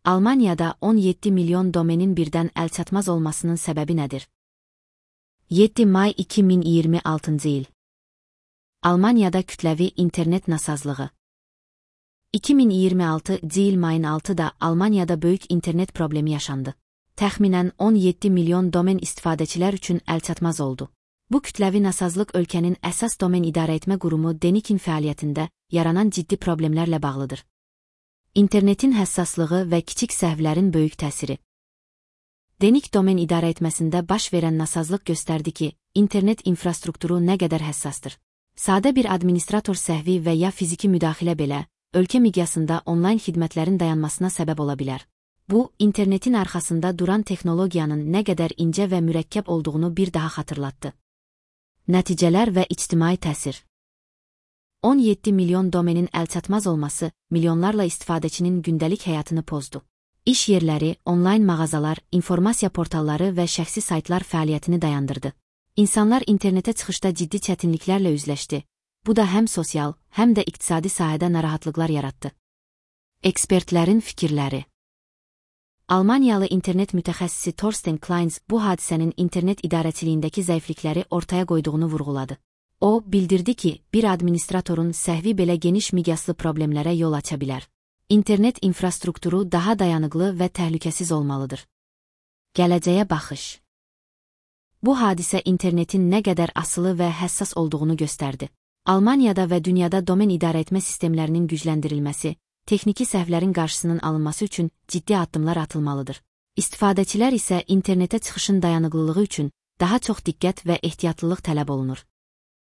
Almaniyada 17 milyon domenin birdən əlçatmaz olmasının səbəbi nədir? 7 may 2026 il. Almaniyada kütləvi internet nasazlığı. 2026 il mayın 6-da Almaniyada böyük internet problemi yaşandı. Təxminən 17 milyon domen istifadəçilər üçün əlçatmaz oldu. Bu kütləvi nasazlıq ölkənin əsas domen idarəetmə qurumu DENIC-in fəaliyyətində yaranan ciddi problemlərlə bağlıdır. İnternetin həssaslığı və kiçik səhvlərin böyük təsiri. DENIC domen idarəetməsində baş verən nasazlıq göstərdi ki, internet infrastrukturu nə qədər həssasdır. Sadə bir administrator səhvi və ya fiziki müdaxilə belə, ölkə miqyasında onlayn xidmətlərin dayanmasına səbəb ola bilər. Bu, internetin arxasında duran texnologiyanın nə qədər incə və mürəkkəb olduğunu bir daha xatırlatdı. Nəticələr və ictimai təsir. 17 milyon domenin əlçatmaz olması, milyonlarla istifadəçinin gündəlik həyatını pozdu. İş yerləri, onlayn mağazalar, informasiya portalları və şəxsi saytlar fəaliyyətini dayandırdı. İnsanlar internetə çıxışda ciddi çətinliklərlə üzləşdi. Bu da həm sosial, həm də iqtisadi sahədə narahatlıqlar yaratdı. Ekspertlərin fikirləri. Almaniyalı internet mütəxəssisi Thorsten Kleins bu hadisənin internet idarəçiliyindəki zəiflikləri ortaya qoyduğunu vurğuladı. O, bildirdi ki, bir administratorun səhvi belə geniş miqyaslı problemlərə yol aça bilər. İnternet infrastrukturu daha dayanıqlı və təhlükəsiz olmalıdır. Gələcəyə baxış. Bu hadisə internetin nə qədər asılı və həssas olduğunu göstərdi. Almaniyada və dünyada domen idarəetmə sistemlərinin gücləndirilməsi, texniki səhvlərin qarşısının alınması üçün ciddi addımlar atılmalıdır. İstifadəçilər isə internetə çıxışın dayanıqlılığı üçün daha çox diqqət və ehtiyatlılıq tələb olunur.